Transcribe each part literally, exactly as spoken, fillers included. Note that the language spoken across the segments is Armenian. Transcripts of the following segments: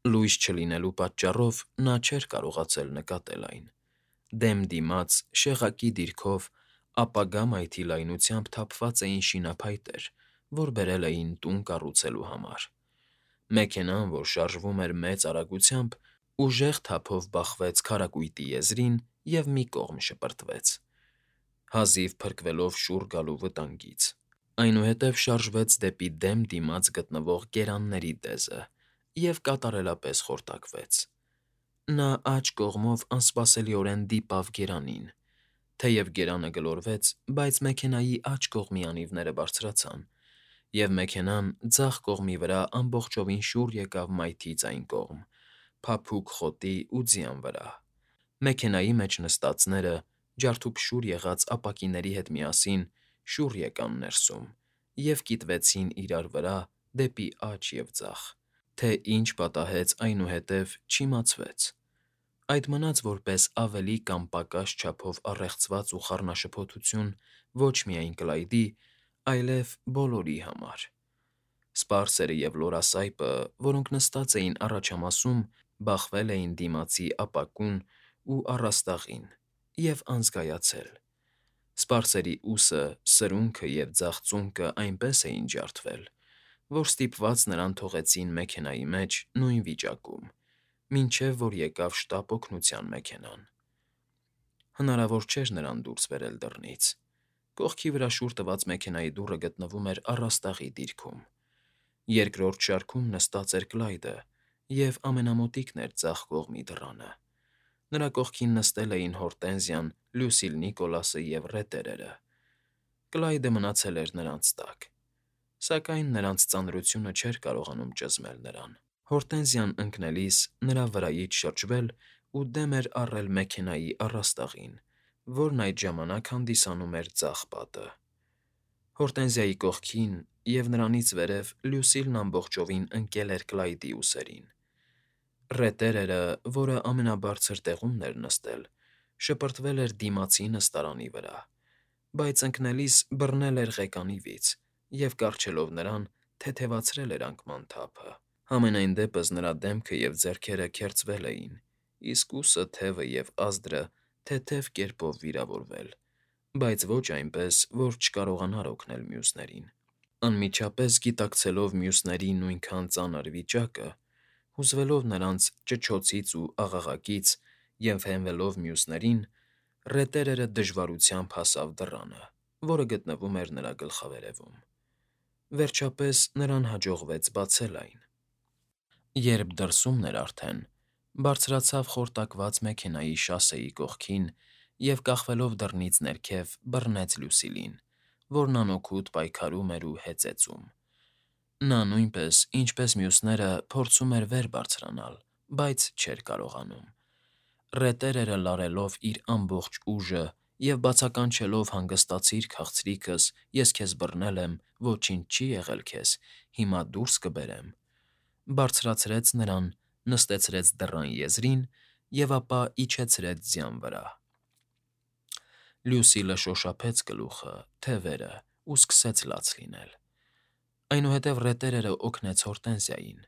Լույս չլինելու պատճառով նա չէր կարողացել նկատել այն. դեմ դիմաց, շեղակի դիրքով, ապագա մայթի լայնությամբ թափված էին շինափայտեր, որ բերել էին տուն կառուցելու համար։ Մեքենան, որ շարժվում էր մեծ արագությամբ, ուժեղ թափով բախվեց քարակույտի եզրին և մի կողմ շպրտվեց, հազիվ փրկվելով շուռ գալու վտանգից։ Այնուհետև շարժվեց դեպի դեմ դիմաց գտնվող գերանների դեզը և կատարելապես խորտակվեց։ Նա աջ կողմով անսպասելիորեն դիպավ գերանին։ Թեև գերանը գլորվեց, բայց մեքենայի աջ կողմի անիվները բարձրացան, և մեքենան ձախ կողմի վրա ամբողջովին շուռ եկավ մայթից այն կողմ, փափուկ խոտի ու ձյան վրա։ Մեքենայի մեջ նստածները, ջարդուփշուր եղած ապակիների հետ միասին, շուռ եկան ներսում և կիտվեցին իրար վրա դեպի աջ և ձախ։ Թե ինչ պատահեց այնուհետև, չիմացվեց։ Այդ մնաց որպես ավելի կամ պակաս չափով առեղծված ու խառնաշփոթություն ոչ միայն Կլայդի, այլև բոլորի համար։ Սպարսերը և լորասայպը, որոնք նստած էին առաջամասում, բախվել էին դիմացի ապակուն ու առաստաղին և անզգայացել։ Սպարսերի ուսը, սրունքը և ձախ ծունկը այնպես էին ջարդվել, որ ստիպված նրան թողեցին մեքենայի մեջ նույն վիճակում, մինչև որ եկավ շտապ օգնության մեքենան։ Հնարավոր չէր նրան դուրս բերել դռնից։ Կողքի վրա շուռ տված մեքենայի դուռը գտնվում էր առաստաղի դիրքում։ Երկրորդ շարքում նստած էր Կլայդը և ամենամոտիկն էր ձախ կողմի դռանը։ Նրա կողքին նստել էին Հորտենզիան, Լյուսիլ Նիկոլասը և ռետերերը։ Կլայդը մնացել էր նրանց տակ, սակայն նրանց ծանրությունը չէր կարողանում ճզմել նրան։ Հորտենզիան ընկնելիս նրա վրայից շրջվել ու դեմ էր առել մեքենայի առաստաղին, որն այդ ժամանակ հանդիսանում էր ձախ պատը։ Հորտենզիայի կողքին և նրանից վերև Լյուսիլն ամբողջովին ընկել էր Կլայդի ուսերին։ Ռետերերը, որը ամենաբարձր տեղումն էր նստել, շպրտվել էր դիմացի նստարանի վրա, բայց ընկնելիս բռնել էր ղեկանիվից և, կառչելով նրան, թեթևացրել էր անկման թափը։ Համենայն դեպս նրա դեմքը և ձեռքերը քերծվել էին, իսկ ուսը, թևը և ազդրը թեթև կերպով վիրավորվել, բայց ոչ այնպես, որ չկարողանար օգնել մյուսներին։ Անմիջապես գիտակցելով մյուսների նույնքան ծանր վիճակը, հուզվելով նրանց ճչոցից ու աղաղակից և հենվելով մյուսներին, ռետերերը դժվարությամբ հասավ դռանը, որը գտնվում էր նրա գլխավերևում։ Վերջապես նրան հաջողվեց բացել այն։ Երբ դրսումն էր արդեն, բարձրացավ խորտակված մեքենայի շասեի կողքին և, կախվելով դռնից ներքև, բռնեց Լյուսիլին, որն անօգուտ պայքարում էր ու հեծեծում։ Նա նույնպես, ինչպես մյուսները, փորձում էր վեր բարձրանալ, բայց չէր կարողանում։ Ռետերերը լարելով իր ամբողջ ուժը և բացականչելով «հանգստացիր, քաղցրիկս, ես քեզ բռնել եմ, ոչինչ չի եղել քեզ, հիմա դուրս կբերեմ», բարձրացրեց նրան, նստեցրեց դռան եզրին և ապա իջեցրեց ձյան վրա։ Լյուսիլը շոշափեց գլուխը, թևերը ու սկսեց լաց լինել։ Այնուհետև ռետերերը օգնեց Հորտենզիային։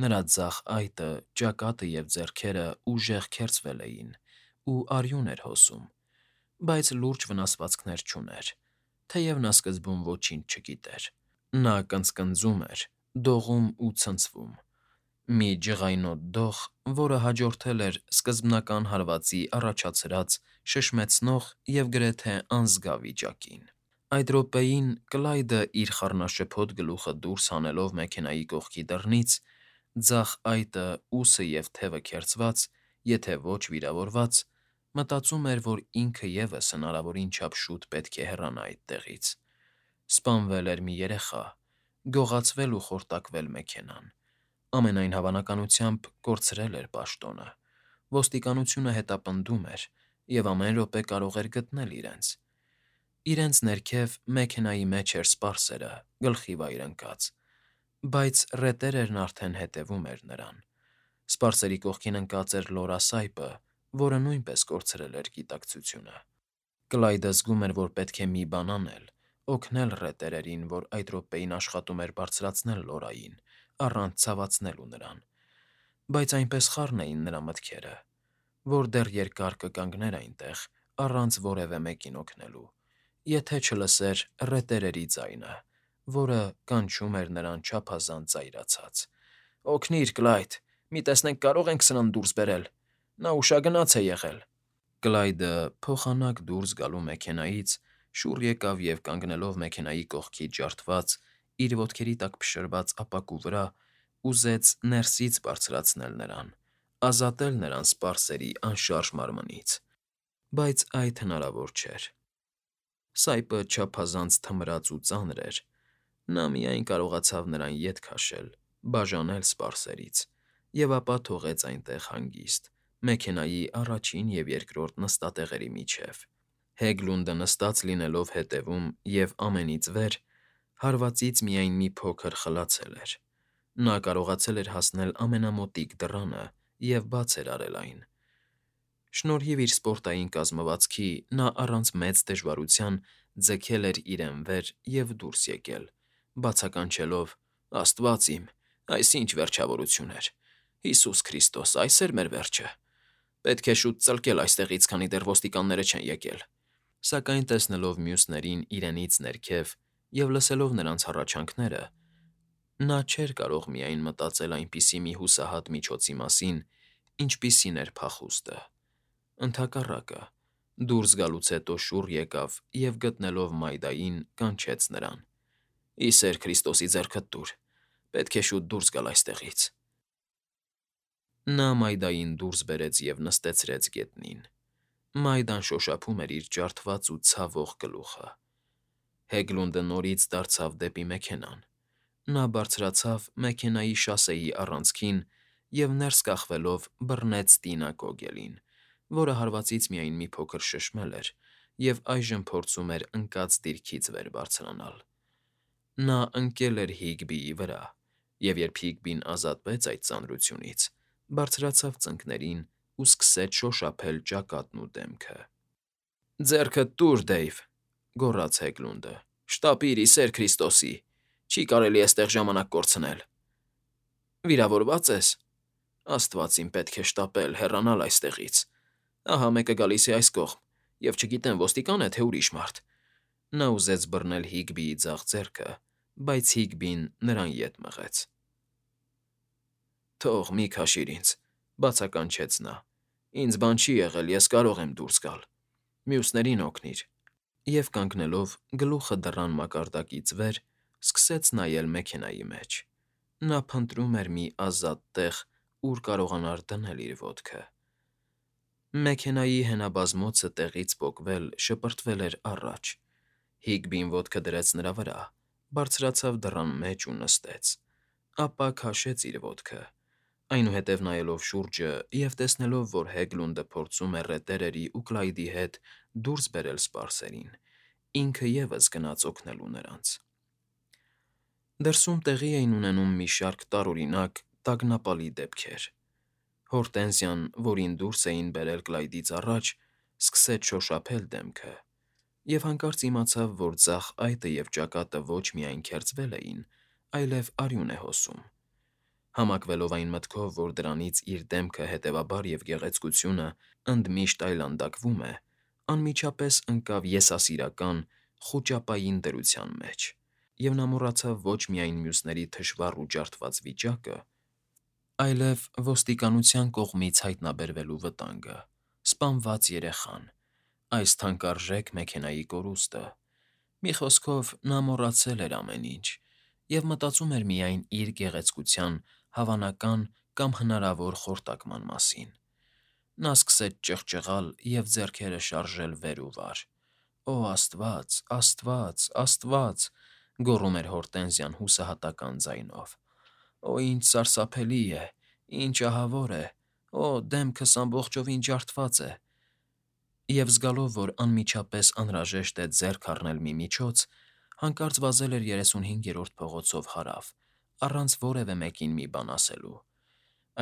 Նրա ձախ այտը, ճակատը և ձեռքերը ուժեղ քերծվել էին ու արյուն էր հոսում, բայց լուրջ վնասվածքներ չուներ, թեև նա սկզբում ոչինչ չգիտեր։ Նա կնծկնծում էր, դողում ու ցնցվում։ Մի ջղայնոտ դող, որը հաջորդել էր սկզբնական հարվածի առաջացրած շշմեցնող և գրեթե անզգա վիճակին։ Այդ րոպեին Կլայդը, իր խառնաշփոթ գլուխը դուրս հանելով մեքենայի կողքի դռնից, ձախ այտը, ուսը և թևը քերծված, եթե ոչ վիրավորված, մտածում էր, որ ինքը ևս հնարավորին չափ շուտ պետք է հեռանա այդտեղից։ Սպանվել էր մի երեխա, գողացվել ու խորտակվել մեքենան, ամենայն հավանականությամբ կորցրել էր պաշտոնը, ոստիկանությունը հետապնդում էր և ամեն րոպե կարող էր գտնել իրենց։ Իրենց ներքև մեքենայի մեջ էր սպարսերը, գլխի վայր ընկած, բայց ռետերերն արդեն հետևում էր նրան։ Սպարսերի կողքին ընկած էր լորասայպը, որը նույնպես կորցրել էր գիտակցությունը։ Կլայդը զգում էր, որ պետք է մի բան անել, օգնել ռետերերին, որ այդ րոպեին աշխատում էր բարձրացնել Լորային, առանց ցավացնելու նրան։ Բայց այնպես խառն էին նրա մտքերը, որ դեռ երկար կկանգներ այնտեղ, առանց որևէ մեկին օգնելու, եթե չլսեր ռետերերի ձայնը, որը կանչում էր նրան չափազանց զայրացած. «Օգնի՛ր, Կլայդ, մի տեսնենք կարո՞ղ ենք սրան դուրս բերել, նա ուշագնաց է եղել»։ Կլայդը փոխանակ դուրս գալու մեքենայից շուռ եկավ և, կանգնելով մեքենայի կողքից ջարդված, իր ոտքերի տակ փշրված ապակու վրա, ուզեց ներսից բարձրացնել նրան, ազատել նրան սպարսերի անշարժ մարմնից, բայց այդ հնարավոր չէր։ Սայպը չափազանց թմրած ու ծանր էր, նա միայն կարողացավ նրան ետ քաշել, բաժանել սպարսերից և ապա թողեց այնտեղ հանգիստ, մեքենայի առաջին և երկրորդ նստատեղերի միջև։ Հեգլունդը նստած լինելով հետևում և ամենից վեր, հարվածից միայն մի փոքր խլացել էր։ Նա կարողացել էր հասնել ամենամոտիկ դռանը և բաց էր արել այն։ Շնորհիվ իր սպորտային կազմվածքի նա առանց մեծ դժվարության ձգել էր իրեն վեր և դուրս եկել, բացականչելով. «Աստվա՜ծ իմ, այս ի՜նչ վերջավորություն էր… Հիսուս Քրիստոս, այս էր մեր վերջը… Պետք է շուտ ծլկել այստեղից, քանի դեռ ոստիկանները չեն եկել»։ Սակայն տեսնելով մյուսներին իրենից ներքև և լսելով նրանց հառաչանքները, նա չէր կարող միայն մտածել այնպիսի մի հուսահատ միջոցի մասին, ինչպիսին էր փախուստը։ Ընդհակառակը, դուրս գալուց հետո շուռ եկավ և, գտնելով Մայդային, կանչեց նրան. «Ի սեր Քրիստոսի, ձեռքդ տուր… Պետք է շուտ դուրս գալ այստեղից»։ Նա Մայդային դուրս բերեց և նստեցրեց գետնին։ Մայդան շոշափում էր իր ջարդված ու ցավող գլուխը։ Հեգլունդը նորից դարձավ դեպի մեքենան։ Նա բարձրացավ մեքենայի շասեի առանցքին և, ներս կախվելով, բռնեց Տինա Կոգելին, որը հարվածից միայն մի փոքր շշմել էր և այժմ փորձում էր ընկած դիրքից վեր բարձրանալ։ Նա ընկել էր Հիգբիի վրա, և երբ Հիգբին ազատվեց այդ ծանրությունից, բարձրացավ ծնկներին ու սկսեց շոշափել ճակատն ու դեմքը։ «Ձեռքդ տուր, Դեյվ», գոռաց Հեգլունդը։ «Շտապիր, ի սեր Քրիստոսի… Չի կարելի էստեղ ժամանակ կորցնել»։ «Վիրավորվա՞ծ ես»։ «Աստված իմ, պետք է շտապել, հեռանալ այստեղից… Ահա մեկը գալիս է այս կողմ, և չգիտեմ ոստիկա՞ն է, թե ուրիշ մարդ»։ Նա ուզեց բռնել Հիգբիի ձախ ձեռքը, բայց Հիգբին նրան ետ մղեց։ «Թող, մի քաշիր ինձ», բացականչեց նա։ «Ինձ բան չի եղել, ես կարող եմ դուրս գալ… Մյուսներին օգնիր»։ Եվ կանգնելով գլուխը դռան մակարդակից վեր, սկսեց նայել մեքենայի մեջ։ Նա փնտրում էր մի ազատ տեղ, ուր կարողանար դնել իր ոտքը։ Մեքենայի հենաբազմոցը տեղից պոկվել շպրտվել էր առաջ։ Հիգբին ոտքը դրեց նրա վրա, բարձրացավ դռան մեջ ու նստեց, ապա քաշեց իր ոտքը։ Այնուհետև նայելով շուրջը և տեսնելով, որ Հեգլունդը փորձում է ռետերերի ու Կլայդի հետ դուրս բերել սպարսերին, ինքը ևս գնաց օգնելու նրանց։ Դրսում տեղի էին ունենում մի շարք տարօրինակ, տագնապալի դեպքեր։ Հորտենզիան, որին դուրս էին բերել Կլայդից առաջ, սկսեց շոշափել դեմքը և հանկարծ իմացավ, որ ձախ այտը և ճակատը ոչ միայն քերծվել էին, այլև արյուն է հոսում։ Համակվելով այն մտքով, որ դրանից իր դեմքը, հետևաբար և գեղեցկությունը ընդմիշտ այլանդակվում է, անմիջապես ընկավ եսասիրական, խուճապային դրության մեջ, և նա մոռացավ ոչ միայն մյուսների թշվառ ու ջարդված վիճակը, այլև ոստիկանության կողմից հայտնաբերվելու վտանգը, սպանված երեխան, այս թանկարժեք մեքենայի կորուստը։ Մի խոսքով, նա մոռացել էր ամեն ինչ և մտածում էր միայն իր գեղեցկության հավանական կամ հնարավոր խորտակման մասին։ Նա սկսեց ճղճղալ և ձեռքերը շարժել վեր ու վար։ «Օ աստված, աստված, աստված…»։ Գոռում էր Հորտենզիան հուսահատական ձայնով։ «Օ, ինչ սարսափելի է… Ինչ ահավոր է… Օ, դեմքս ամբողջովին ջարդված է…»։ Եվ զգալով, որ անմիջապես անհրաժեշտ է ձեռք առնել մի միջոց, հանկարծ վազել էր երեսունհինգերորդ փողոցով հարավ, առանց որևէ մեկին մի բան ասելու։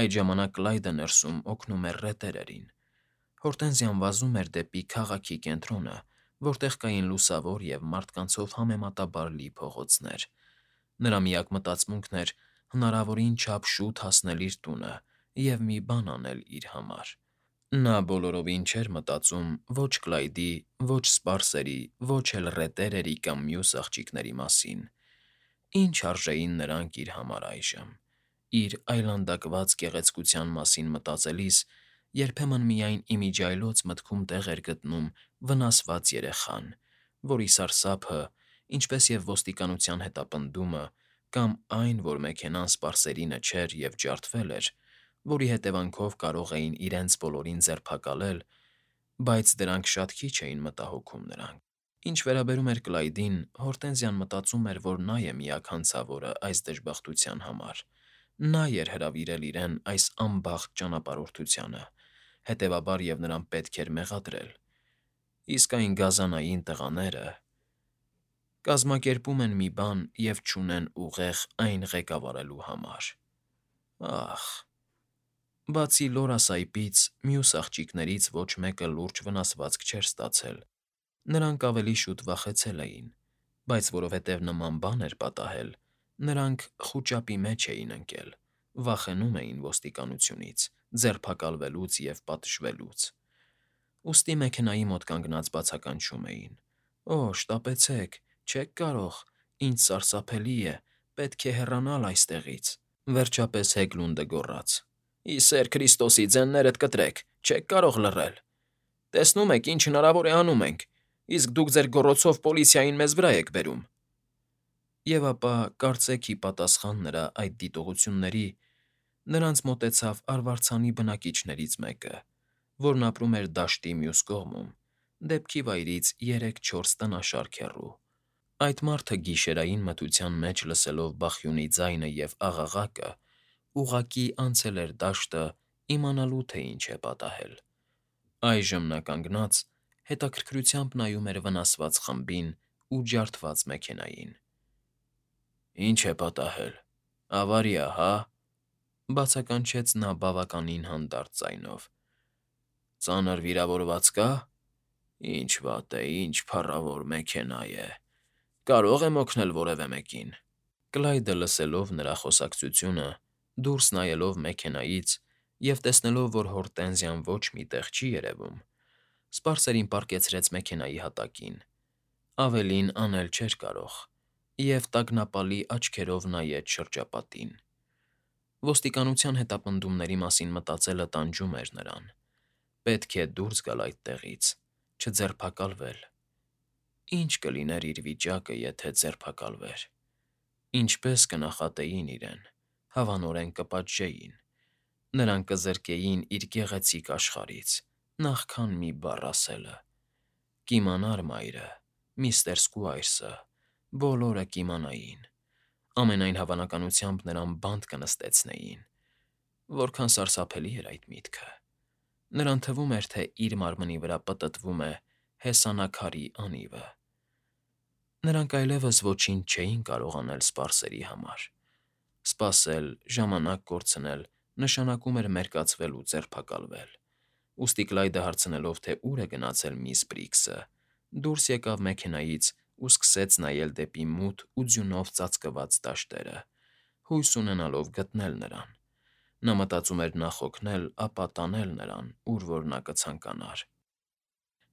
Այդ ժամանակ Կլայդը ներսում օգնում էր ռետերերին։ Հորտենզիան վազում էր դեպի քաղաքի կենտրոնը, որտեղ կային լուսավոր և մարդկանցով համեմատաբար լի փողոցներ։ Նրա միակ մտածմունքն էր հնարավորին չափ շուտ հասնել իր տունը և մի բան անել իր համար։ Նա բոլորովին չէր մտածում ոչ Կլայդի, ոչ սպարսերի, ոչ էլ ռետերերի կամ մյուս աղջիկների մասին։ Ինչ արժեին նրանք իր համար այժմ։ Իր այլանդակված գեղեցկության մասին մտածելիս երբեմն միայն իմիջիայլոց մտքում տեղ էր գտնում վնասված երեխան, որի սարսափը, ինչպես և ոստիկանության հետապնդումը, կամ այն, որ մեքենան սպարսերինը չէր և ջարդվել էր, որի հետևանքով կարող էին իրենց բոլորին ձերբակալել, բայց դրանք շատ քիչ էին մտահոգում նրան։ Ինչ վերաբերում էր Կլայդին, Հորտենզիան մտածում էր, որ նա է միակ հանցավորը այս դժբախտության համար։ Նա էր հրավիրել իրեն այս անբախտ ճանապարհորդությանը, հետևաբար և նրան պետք էր մեղադրել։ Իսկ այն գազանային տղաները… կազմակերպում են մի բան և չունեն ուղեղ այն ղեկավարելու համար… Ախ… Բացի Լորա Սայպից, մյուս աղջիկներից ոչ մեկը լուրջ վնասվածք չէր ստացել, նրանք ավելի շուտ վախեցել էին, բայց որովհետև նման բան էր պատահել, նրանք խուճապի մեջ էին ընկել, վախենում էին ոստիկանությունից, ձերբակալվելուց և պատժվելուց։ Ուստի մեքենայի մոտ կանգնած բացականչում էին. «Օ՜, շտապեցեք, չեք կարող, ինչ սարսափելի է, պետք է հեռանալ այստեղից»։ Վերջապես Հեգլունդը գոռաց. «Ի սեր Քրիստոսի, ձեններդ կտրեք, չեք կարող լռել… Տեսնում եք, ինչ հնարավոր է անում ենք, իսկ դուք ձեր գոռոցով պոլիցիային մեզ վրա եք բերում»։ Եվ ապա, կարծեք ի պատասխան նրա այդ դիտողությունների, նրանց մոտեցավ արվարձանի բնակիչներից մեկը, որն ապրում էր դաշտի մյուս կողմում, դեպքի վայրից երեք֊չորս տնաշարք հեռու։ Այդ մարդը գիշերային մթության մեջ լսելով բախյունի ձայնը և աղաղակը, ուղղակի անցել էր դաշտը՝ իմանալու, թե ինչ է պատահել։ Այժմ նա կանգնած, հետաքրքրությամբ նայում էր վնասված խմբին ու ջարդված մեքենային։ «Ինչ է պատահել, ավարիա, հա՞…֊ բացականչեց նա բավականին հանդարտ ձայնով։ Ծանր վիրավորված կա՞… Ինչ վատ է, ինչ փառավոր մեքենա է… Կարո՞ղ եմ օգնել որևէ մեկին»։ Կլայդը, լսելով նրա խոսակցությունը, դուրս նայելով մեքենայից և տեսնելով, որ Հորտենզիան ոչ մի տեղ չի երևում, սպարսերին պառկեցրեց մեքենայի հատակին, ավելին անել չէր կարող, և տագնապալի աչքերով նայեց շրջապատին։ Ոստիկանության հետապնդումների մասին մտածելը տանջում էր նրան։ Պետք է դուրս գալ այդտեղից, չձերբակալվել… Ի՞նչ կլիներ իր վիճակը, եթե ձերբակալվեր… Ինչպե՞ս կնախատեին իրեն, հավանորեն կպատժեին… Նրան կզրկեին իր գեղեցիկ աշխարհից, նախքան մի բառ ասելը… Կիմանար մայրը, միստր Սքուայրսը, բոլորը կիմանային… Ամենայն հավանականությամբ նրան բանտ կնստեցնեին… Որքան սարսափելի էր այդ միտքը… Նրան թվում էր, թե իր մարմնի վրա պտտվում է հեսանաքարի անիվը… Նրանք այլևս ոչինչ չէին կարող անել սպարսերի համար… Սպասել, ժամանակ կորցնել նշանակում էր մերկացվել ու ձերբակալվել… Ուստի Կլայդը հարցնելով, թե ուր է գնացել միս Բրիգսը, դուրս եկավ մեքենայից ու սկսեց նայել դեպի մութ ու ձյունով ծածկված դաշտերը, հույս ունենալով գտնել նրան։ Նա մտածում էր նախ օգնել, ապա տանել նրան, ուր որ նա կցանկանար։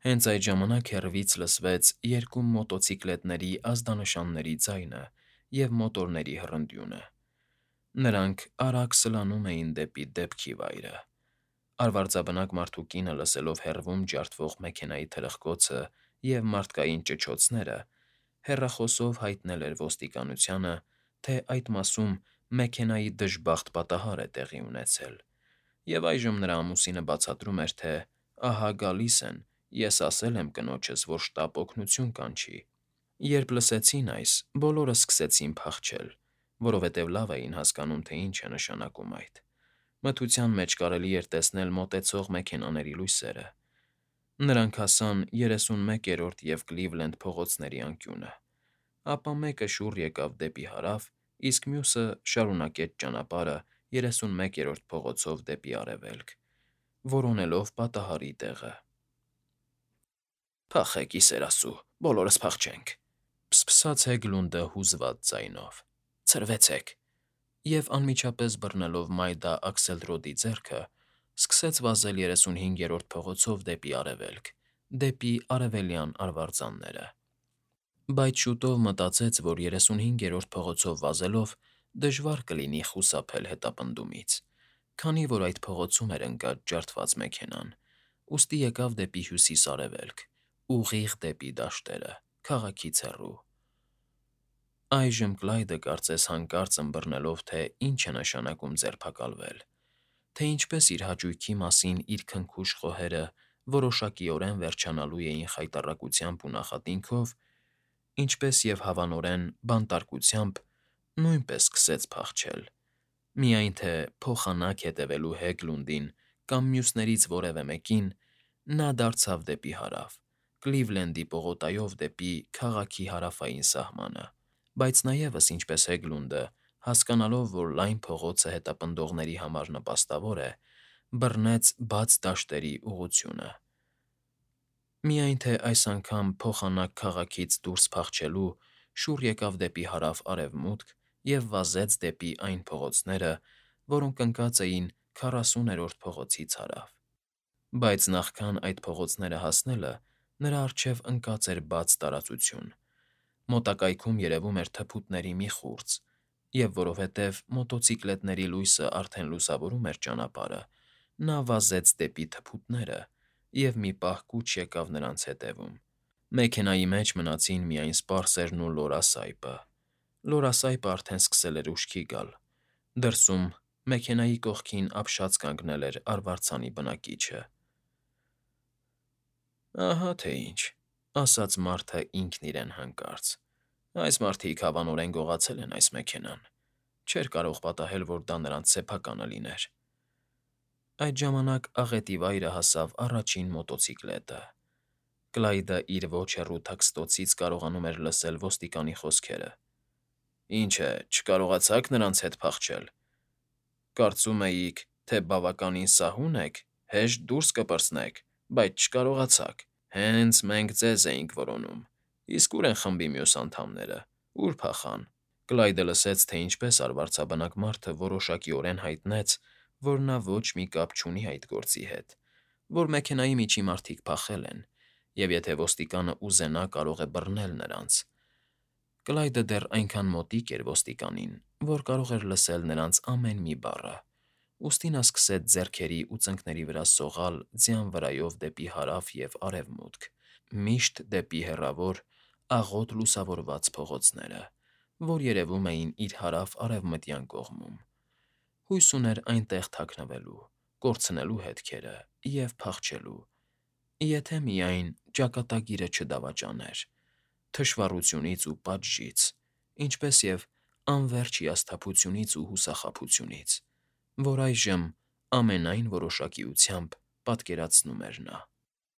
Հենց այդ ժամանակ հեռվից լսվեց երկու մոտոցիկլետների ազդանշանների ձայնը և մոտորների հռնդյունը։ Նրանք արագ սլանում էին դեպի դեպքի վայրը։ Արվարձաբնակ մարդու կինը, լսելով հեռվում ջարդվող մեքենայի թրխկոցը և մարդկային ճչոցները, հեռախոսով հայտնել էր ոստիկանությանը, թե այդ մասում մեքենայի դժբախտ պատահար է տեղի ունեցել, և այժմ նրա ամուսինը բացատրում էր, թե ահա գալիս են, ես ասել եմ կնոջս, որ շտապ օգնություն կանչի։ Երբ լսեցին այս, բոլորը սկսեցին փախչել, որովհետև լավ էին հասկանում, թե ինչ է նշանակում այդ։ Մթության մեջ կարելի էր տեսնել մոտեցող մեքենաների լույսերը։ Նրանք հասան երեսունմեկերորդ և Կլիվլենդ փողոցների անկյունը, ապա մեկը շուռ եկավ դեպի հարավ, իսկ մյուսը շարունակեց ճանապարհը երեսունմեկերորդ փողոցով դեպի արևելք, որոնելով պատահարի տեղը։ «Փախեք, ի սեր Աստծո, բոլորս փախչենք»,֊ ֆսֆսաց Հեգլունդը հուզված ձայնով։ «Ցրվեցեք»։ և, անմիջապես բռնելով Մայդա Աքսելրոդի ձեռքը, սկսեց վազել երեսունհինգերորդ փողոցով դեպի արևելք, դեպի արևելյան արվարձանները։ Բայց շուտով մտածեց, որ երեսունհինգերորդ փողոցով վազելով դժվար կլինի խուսափել հետապնդումից, քանի որ այդ փողոցում էր ընկած ջարդված մեքենան, ուստի եկավ դեպի հյուսիս֊արևելք, ուղիղ դեպի դաշտերը, քաղաքից հեռու։ Այժմ Կլայդը կարծես հանկարծ ըմբռնելով, թե ինչ է նշանակում ձերբակալվել, թե ինչպես իր հաճույքի մասին իր քնքուշ խոհերը որոշակիորեն վերջանալու էին խայտառակությամբ ու նախատինքով, ինչպես և հավանորեն բանտարկությամբ, նույնպես սկսեց փախչել, միայն թե փոխանակ հետևելու Հեգլունդին կամ մյուսներից որևէ մեկին, նա դարձավ դեպի հարավ, Կլիվլենդի պողոտայով դեպի քաղաքի հարավային սահմանը, բայց նաև, ինչպես Հեգլունդը, հասկանալով, որ լայն փողոցը հետապնդողների համար նպաստավոր է, բռնեց բաց դաշտերի ուղղությունը։ Միայն թե այս անգամ փոխանակ քաղաքից դուրս փախչելու շուռ եկավ դեպի հարավ֊արևմուտք և վազեց դեպի այն փողոցները, որոնք ընկած էին քառասուներորդ փողոցից հարավ։ Բայց նախքան այդ փողոցները հասնելը նրա առջև ընկած էր բաց տարածություն, մոտակայքում երևում էր թփուտների մի խուրձ, և որովհետև մոտոցիկլետների լույսը արդեն լուսավորում էր ճանապարհը, նա վազեց դեպի թփուտները և մի պահ կուչ եկավ նրանց հետևում։ Մեքենայի մեջ մնացին միայն սպարսերն ու լորասայպը։ Լորասայպը արդեն սկսել էր ուշքի գալ։ Դրսում, մեքենայի կողքին ապշած կանգնել էր արվարձանի բնակիչը։ «Ահա թե ինչ,֊ ասաց մարդը ինքն իրեն հանկարծ,֊ այս մարդիկ հավանորեն գողացել են այս մեքենան, չէր կարող պատահել, որ դա նրանց սեփականը լիներ»։ Այդ ժամանակ աղետի վայրը հասավ առաջին մոտոցիկլետը։ Կլայդը իր ոչ հեռու թաքստոցից կարողանում էր լսել ոստիկանի խոսքերը. «Ինչ է, չկարողացա՞ք նրանց հետ փախչել։ Կարծում էիք, թե բավականին սահուն եք, հեշտ դուրս կպրծնեք, բայց չկարողացաք։ Հենց մենք ձեզ էինք որոնում։ Իսկ ո՞ւր են խմբի մյուս անդամները, ո՞ւր փախան»։ Կլայդը լսեց, թե ինչպես արվարձաբնակ մարդը որոշակիորեն հայտնեց, որ նա ոչ մի կապ չունի այդ գործի հետ, որ մեքենայի միջի մարդիկ փախել են, և եթե ոստիկանը ուզենա, կարող է բռնել նրանց։ Կլայդը դեռ այնքան մոտիկ էր ոստիկանին, որ կարող էր լսել նրանց ամեն մի բառը, ուստի նա սկսեց ձեռքերի ու ծնկների վրա սողալ ձյան վրայով դեպի հարավ և արևմուտք, միշտ դեպի հեռավոր, աղոտ լուսավորված փողոցները, որ երևում էին իր հարավ֊արևմտյան կողմում։ Հույս ուներ այնտեղ թաքնվելու, կորցնելու հետքերը և փախչելու, եթե միայն ճակատագիրը չդավաճաներ թշվառությունից ու պատժից, ինչպես և անվերջ հիասթափությունից ու հուսախաբությունից, որ այժմ ամենայն որոշակիությամբ պատկերացնում էր նա։